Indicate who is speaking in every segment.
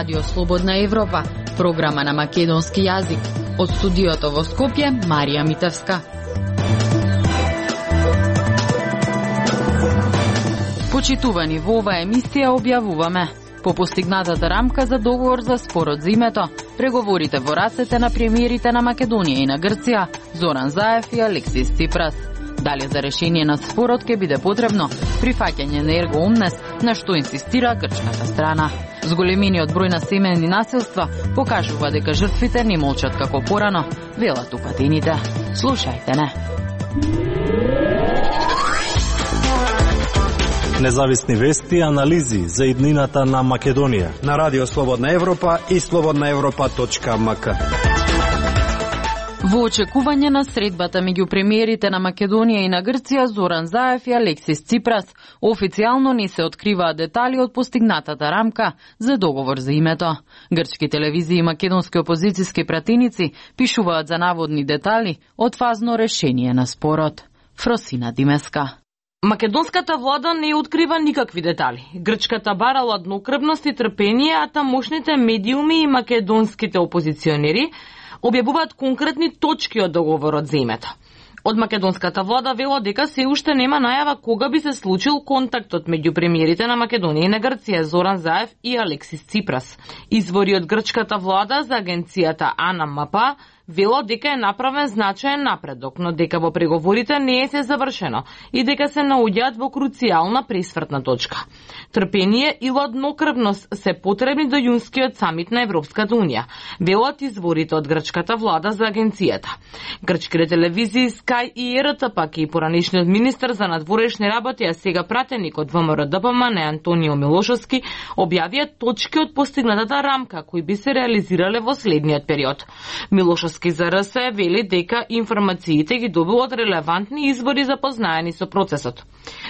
Speaker 1: Радио Слободна Европа, програма на македонски јазик. Од студиото во Скопје, Марија Митевска. Почитувани, во оваа емисија објавуваме: по постигнатата рамка за договор за спорот за името, преговорите во рацете на премиерите на Македонија и на Грција, Зоран Заев и Алексис Ципрас. Дали за решение на спорот ќе биде потребно прифаќање на Ерго Омнес, на што инсистира грчката страна. Зголемениот број на семејни насилства покажува дека жртвите не молчат како порано, велат упатените. Слушајте не.
Speaker 2: Независни вести и анализи за иднината на Македонија
Speaker 3: на Радио Слободна Европа и slobodnaevropa.mk.
Speaker 1: Во очекување на средбата меѓу премиерите на Македонија и на Грција, Зоран Заев и Алексис Ципрас, официјално не се откриваат детали од постигнатата рамка за договор за името. Грчки телевизии и македонски опозициски пратеници пишуваат за наводни детали од фазно решение на спорот. Фросина Димеска.
Speaker 4: Македонската влада не открива никакви детали. Грчката бара ладнокрвност и трпение, а тамошните медиуми и македонските опозиционери објавуваат конкретни точки од договорот за името. Од македонската влада вело дека се уште нема најава кога би се случил контактот меѓу премиерите на Македонија и на Грција, Зоран Заев и Алексис Ципрас. Извори од грчката влада за агенцијата АНМП вело дека е направен значаен напредок, но дека во преговорите не е се завршено и дека се наоѓаат во круцијална пресвртна точка. Трпение и ладнокрвност се потребни до јунскиот самит на Европската унија, велат изворите од грчката влада за агенцијата. Грчките телевизии Sky и РТ пак и поранешниот министер за надворешни работи, а сега пратеник од ВМРО-ДПМН Антонио Милошовски, објавија точки од постигнатата рамка кои би се реализирале во следниот период. Милошовски за РС вели дека информациите ги добил од релевантни извори запознаени со процесот.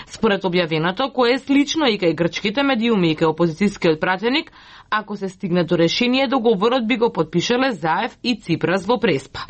Speaker 4: Според објавеното, кое е слично и кај грчките медиуми и кај опозицијскиот пратеник, ако се стигне до решение, договорот би го подпишале Заев и Ципрас во Преспа.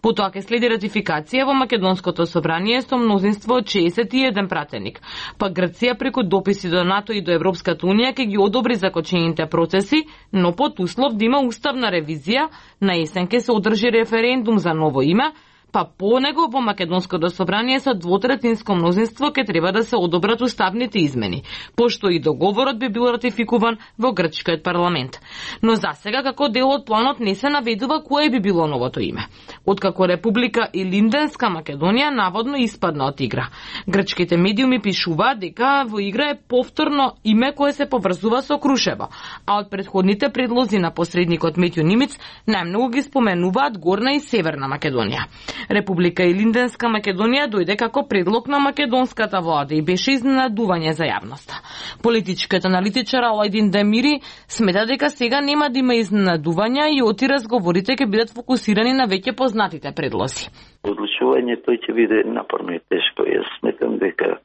Speaker 4: Потоа ќе следи ратификација во Македонското собрание со мнозинство од 61 пратеник. Па Грција преку дописи до НАТО и до Европската унија ќе ги одобри закочените процеси, но под услов да има уставна ревизија, на есен ќе се одржи референдум за ново име, па по него во Македонското собрание со двотретинско мнозинство ќе треба да се одобрат уставните измени, пошто и договорот би бил ратификуван во грчкиот парламент. Но засега како дел од планот не се наведува кое би било новото име, откако Република Илинденска Македонија наводно испадна од игра. Грчките медиуми пишуваат дека во игра е повторно име кое се поврзува со Крушево, а од претходните предлози на посредникот Метју Нимиц најмногу ги споменуваат Горна и Северна Македонија. Република Илинденска Македонија дојде како предлог на македонската влада и беше изненадување за јавноста. Политичкиот аналитичар Алајдин Демири смета дека сега нема да има изненадувања и оти разговорите ќе бидат фокусирани на веќе познатите предлози.
Speaker 5: Одлучувањето ќе биде напорно и тешко. Јас сметам дека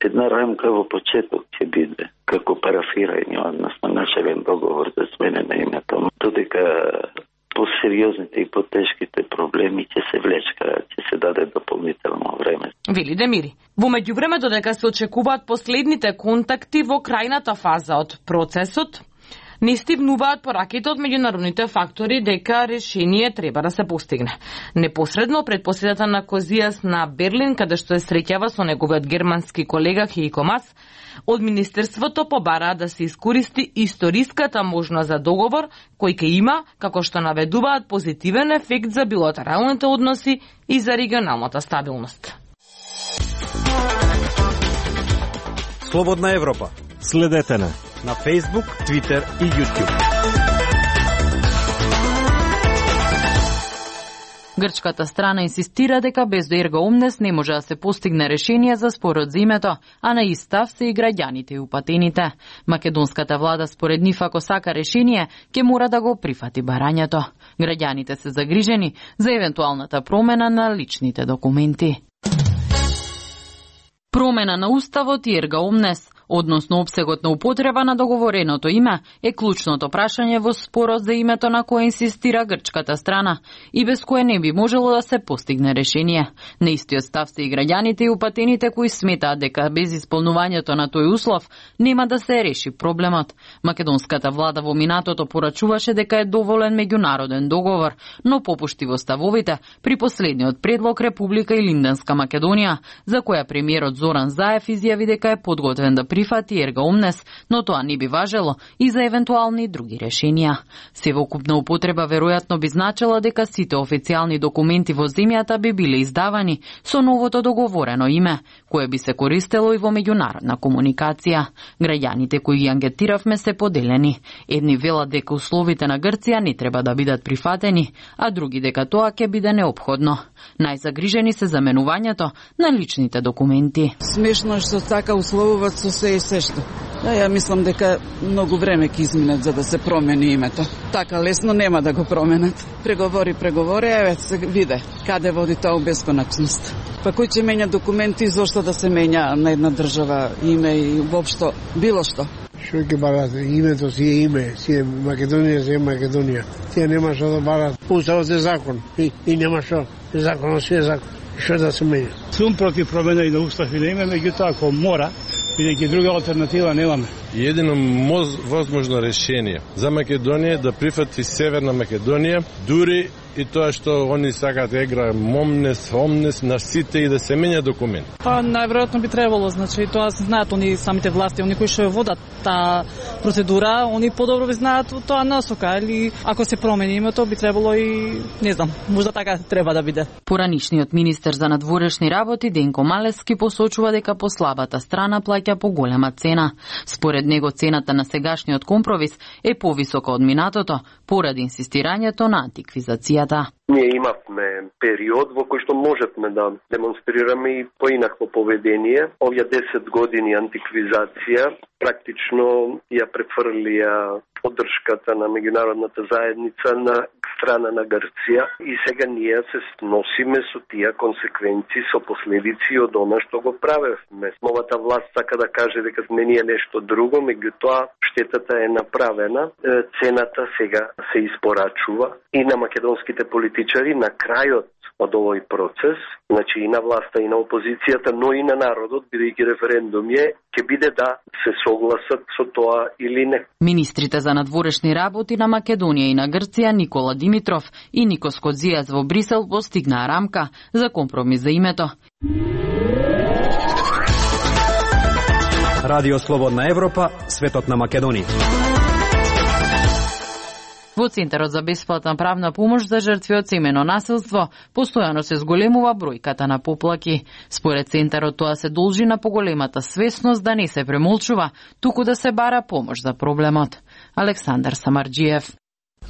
Speaker 5: една рамка во почеток ќе биде како парафирање, односно начален договор за смена на името, додека по-сериозните и по-тешките проблеми ќе се влечкаат, ќе се даде дополнително време.
Speaker 4: Вели Демири. Во меѓувреме, додека се очекуваат последните контакти во крајната фаза од процесот, не стигнуваат пораките од меѓународните фактори дека решение треба да се постигне. Непосредно пред посетата на Козијас на Берлин, каде што се среќава со неговиот германски колега Хеико Мас, од Министерството побараа да се искористи историската можност за договор, кој ќе има, како што наведуваат, позитивен ефект за билатералните односи и за регионалната стабилност.
Speaker 3: Слободна Европа.
Speaker 2: Следете на
Speaker 3: Facebook, Twitter и YouTube.
Speaker 1: Грчката страна инсистира дека без Ерго Омнес не може да се постигне решение за спорот за името, а на ист став се и граѓаните и упатените. Македонската влада според нив, ако сака решение, ќе мора да го прифати барањето. Граѓаните се загрижени за евентуалната промена на личните документи. Промена на уставот и Ерго Омнес. односно опсегот на употреба на договореното име, е клучното прашање во спорот за името на кое инсистира грчката страна и без кое не би можело да се постигне решение. На истиот став се и граѓаните и упатените кои сметаат дека без исполнувањето на тој услов нема да се реши проблемот. Македонската влада во минатото порачуваше дека е доволен меѓународен договор, но попушти во ставовите при последниот предлог Република Илинденска Македонија, за која премиерот Зоран Заев изјави дека е подготвен да прифати ерга омнес, но тоа не би важело и за евентуални други решенија. Севокупна употреба веројатно би значила дека сите официјални документи во земјата би биле издавани со новото договорено име, кое би се користело и во меѓународна комуникација. Граѓаните кои ги ангетиравме се поделени. Едни велат дека условите на Грција не треба да бидат прифатени, а други дека тоа ќе биде неопходно. Најзагрижени се заменувањето на личните документи.
Speaker 6: Смешно е што така условуваат со се и сешто. Ја мислам дека многу време ќе изминат за да се промени името. Така лесно нема да го променат. Преговори, еве се виде каде води тоа у бесконачност. Па кој ќе менја документи, зошто да се менја на една држава име и воопшто било што?
Speaker 7: Што ќе барат? Името си е име, си е Македонија, си е Македонија. Тие нема што да барат. Уставот е закон и нема што. Законот си е закон. Што да се менја?
Speaker 8: Сум против промена и на устав и на име, меѓутоа ако мора, бидејќи друга алтернатива немаме.
Speaker 9: Едино возможно решение за Македонија да прифати Северна Македонија, дури и тоа што они сакаат да игра омнес на сите и да се менја документ.
Speaker 10: Па најверојатно би требало, значи тоа знаат они самите власти, они кои што ја водат таа процедура, они подобро би знаат тоа насока, или ако се промени името би требало и не знам, можда така треба да биде.
Speaker 1: Поранишниот министер за надворешни работи Денко Малески посочува дека послабата страна плаќа поголема цена. Според него цената на сегашниот компромис е повисока од минатото поради инсистирањето на антиквизацијата.
Speaker 11: Ние имавме период во кој што можевме да демонстрираме и поинакво поведение. Овие 10 години антиквизација практично ја префрлија поддршката на меѓународната заедница на страна на Грција и сега ние се носиме со тие консеквенции, со последици од она што го правевме. Новата власт сака да каже дека не е нешто друго, меѓутоа штетата е направена, цената сега се испорачува и на македонските политичари на крајот од овој процес, значи и на власта и на опозицијата, но и на народот, бидејќи референдум ќе биде да се согласат со тоа или не.
Speaker 1: Министрите за надворешни работи на Македонија и на Грција Никола Димитров и Никос Кодзијас во Брисел постигнаа рамка за компромис за името.
Speaker 3: Радио Слободна Европа, светот на Македонија.
Speaker 1: Во Центарот за бесплатна правна помош за жртви од семено насилство постојано се зголемува бројката на поплаки. Според Центарот тоа се должи на поголемата свесност да не се премолчува, туку да се бара помош за проблемот. Александар Самарџиев.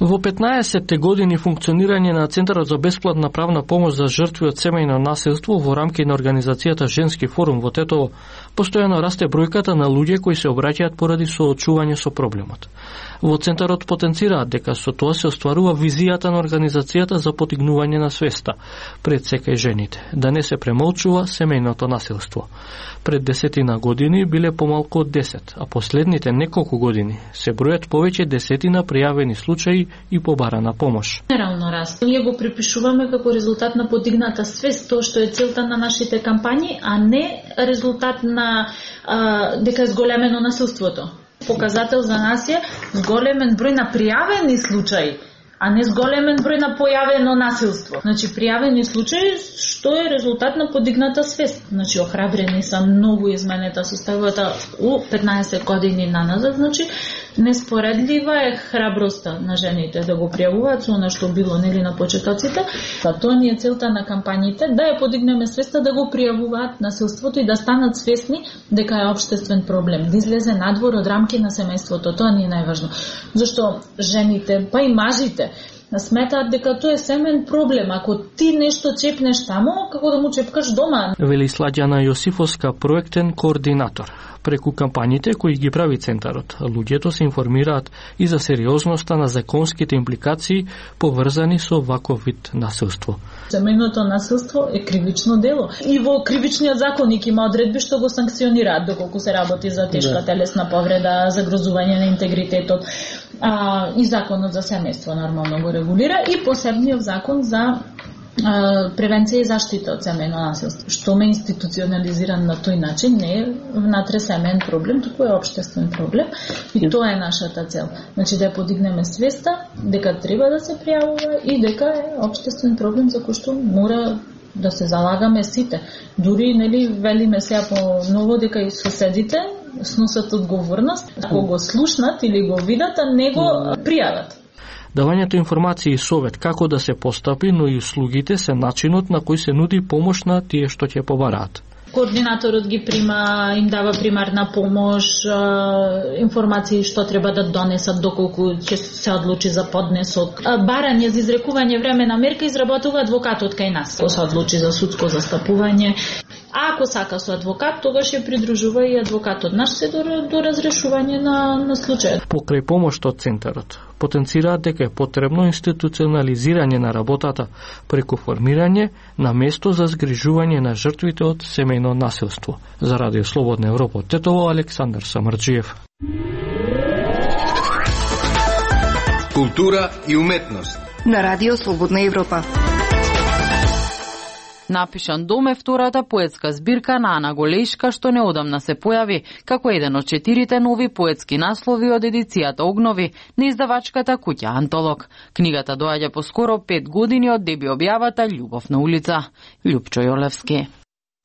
Speaker 12: Во 15-те години функционирање на Центарот за бесплатна правна помош за жртви од семејно насилство во рамки на организацијата Женски форум во Тетово, постојано расте бројката на луѓе кои се обраќаат поради соочување со проблемот. Во Центарот потенцираат дека со тоа се остварува визијата на организацијата за потигнување на свеста пред секај жените, да не се премолчува семејното насилство. Пред 10 години биле помалку од 10, а последните неколку години се бројат повеќе десетина пријавени случаи и побарана помош.
Speaker 13: Генерално раст. Ние го припишуваме како резултат на подигната свест, тоа што е целта на нашите кампањи, а не резултат на дека е зголемено насилството. Показател за нас е зголемен број на пријавени случаи, а не зголемен број на појавено насилство. Значи, пријавени случаи што е резултат на подигната свест. Значи, охрабрени са многу изменета составата у 15 години наназад. Значи, неспоредлива е храброста на жените да го пријавуваат со она што било нели на почетоците. Тоа ни е целта на кампањите, да ја подигнеме свеста да го пријавуваат насилството и да станат свесни дека е општествен проблем, да излезе надвор од рамки на семејството. Тоа ни е најважно. Зашто жените, па и мажите, сметаат дека тоа е семен проблем. Ако ти нешто чепнеш таму, како да му чепкаш дома.
Speaker 12: Вели Сладјана Јосифовска, проектен координатор. Преку кампањите кои ги прави центарот, луѓето се информираат и за сериозноста на законските импликации поврзани со ваков вид насилство.
Speaker 13: Семејното насилство е кривично дело. И во кривичниот законник има одредби што го санкционираат доколку се работи за тешка телесна повреда, загрозување на интегритетот. И законот за семејство нормално го регулира и посебниот закон за превенција и заштита од семејно насилство. Што ме институционализиран на тој начин не е внатре семеен проблем, туку е општествен проблем и тоа е нашата цел. Значи да ја подигнеме свеста дека треба да се пријавува и дека е општествен проблем за кој што мора да се залагаме сите. Дури нели велиме сега по ново дека и соседите сносат одговорност, ако го слушнат или го видат, а не го пријават.
Speaker 12: Давањето информации и совет како да се постапи, но и услугите се начинот на кој се нуди помош на тие што ќе побараат.
Speaker 13: Координаторот ги прима, им дава примарна помош, информации што треба да донесат доколку ќе се одлучи за поднесок. Барање за изрекување времена мерка изработува адвокатот кај нас. Ако се одлучи за судско застапување, а ако сака со адвокат, тогаш ја придружува и адвокатот наш се до разрешување на случајот.
Speaker 12: Покрај помош од центарот, потенцираат дека е потребно институционализирање на работата преку формирање на место за згрижување на жртвите од семејно насилство. За Радио Слободна Европа, Тетово, Александар Самарджиев.
Speaker 14: Култура и уметност
Speaker 15: на Радио Слободна Европа.
Speaker 1: Напишан дом е втората поетска збирка на Ана Голејшка што неодамна се појави како еден од 4 нови поетски наслови од едицијата Огнови на издавачката куќа Антолог. Книгата доаѓа по скоро 5 години од деби објавата Љубов на улица. Лјупчо Јолевски.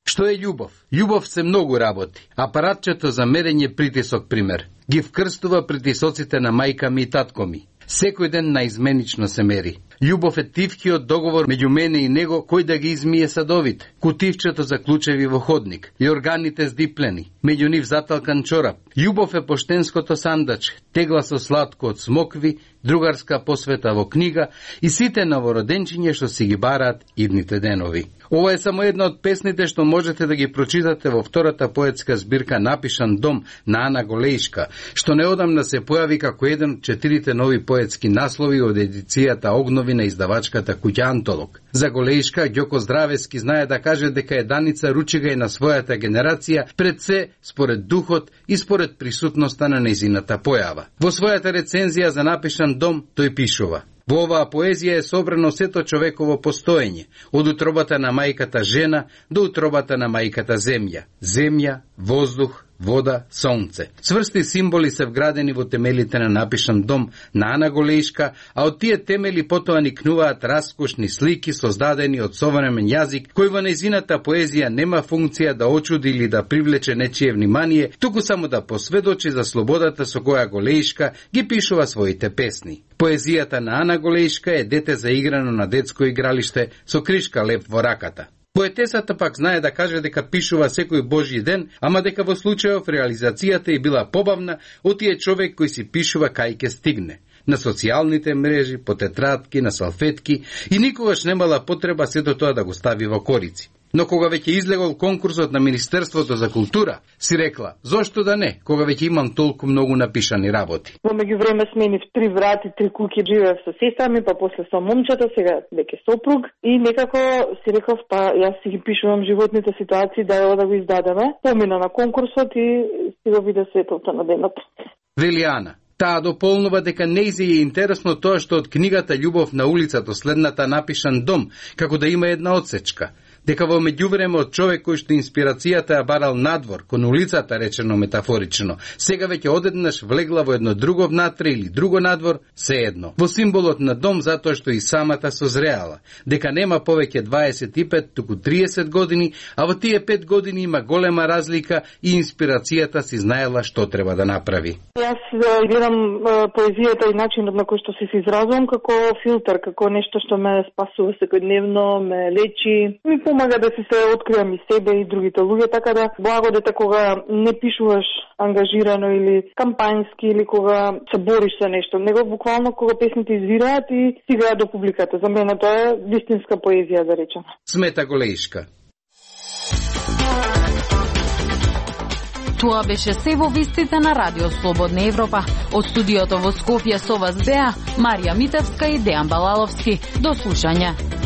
Speaker 14: Што е љубов? Љубов се многу работи. Апаратчето за мерење притисок пример. Ги вкрстува притисоците на мајка ми и татко ми. Секој ден наизменично се мери. Љубов е тивкиот договор меѓу мене и него кој да ги измие садовите. Кутивчето за клучеви во ходник и органите здиплени, меѓу нив заталкан чорап. Љубов е поштенското сандаче, тегла со сладко од смокви, другарска посвета во книга и сите новороденчиња што си ги бараат идните денови. Ова е само една од песните што можете да ги прочитате во втората поетска збирка Напишан дом на Ана Голејшка, што неодамна се појави како еден од 4 нови поетски наслови од едицијата Огнови на издавачката куќа Антолог. За Голејшка, Ѓоко Здравески знае да каже дека е Даница Ручига и на својата генерација пред се според духот и според присутноста на нејзината појава. Во својата рецензија за Напишан дом тој пишува: во оваа поезија е собрано сето човеково постоење, од утробата на мајката жена до утробата на мајката земја. Земја, воздух, вода, сонце. Цврсти символи се вградени во темелите на Напишан дом на Ана Голејшка, а од тие темели потоа никнуваат раскошни слики создадени од современ јазик, кој во нејзината поезија нема функција да очуди или да привлече нечие внимание, туку само да посведочи за слободата со која Голејшка ги пишува своите песни. Поезијата на Ана Голејшка е дете заиграно на детско игралиште со кришка лев во раката. Поетесата пак знае да каже дека пишува секој Божји ден, ама дека во случајов реализацијата е била побавна од тие човек кој си пишува кај ќе стигне. На социјалните мрежи, по тетрадки, на салфетки и никогаш немала потреба сето тоа да го стави во корици. Но кога веќе излегол конкурсот на Министерството за култура, си рекла, зошто да не, кога веќе имам толку многу напишани работи.
Speaker 16: Во меѓувреме сменив 3 врати, 3 куќи, живеев со сестра ми, па после со момчето, сега веќе сопруг и некако си реков, па јас си ги пишувам животните ситуации, да ја да го издадеме. Помина на конкурсот и си го виде светлото на денот.
Speaker 14: Вели Ана. Таа дополнува дека нејзе е интересно тоа што од книгата Љубов на улицата следната Напишан дом, како да има една одсечка. Дека во меѓувреме од човек кој што инспирацијата ја барал надвор, кон улицата речено метафорично, сега веќе одеднаш влегла во едно друго внатре или друго надвор, се едно. Во символот на дом затоа што и самата созреала, дека нема повеќе 25, туку 30 години, а во тие 5 години има голема разлика и инспирацијата си знаела што треба да направи.
Speaker 16: Јас гледам поезијата и начинот на кој што се изразувам како филтер, како нешто што ме спасува секојдневно, ме лечи, ми помага да си се откриам и себе и другите луѓе, така да благо дете кога не пишуваш ангажирано или кампањски или кога се бориш за нешто, него буквално кога песните извираат и стигаат до публиката. За мене тоа е вистинска поезија, да речем.
Speaker 14: Смета Голеишка.
Speaker 1: Тоа беше се во вестите на Радио Слободна Европа. Од студиото во Скопје со вас беа Марија Митевска и Дејан Балаловски. До слушање.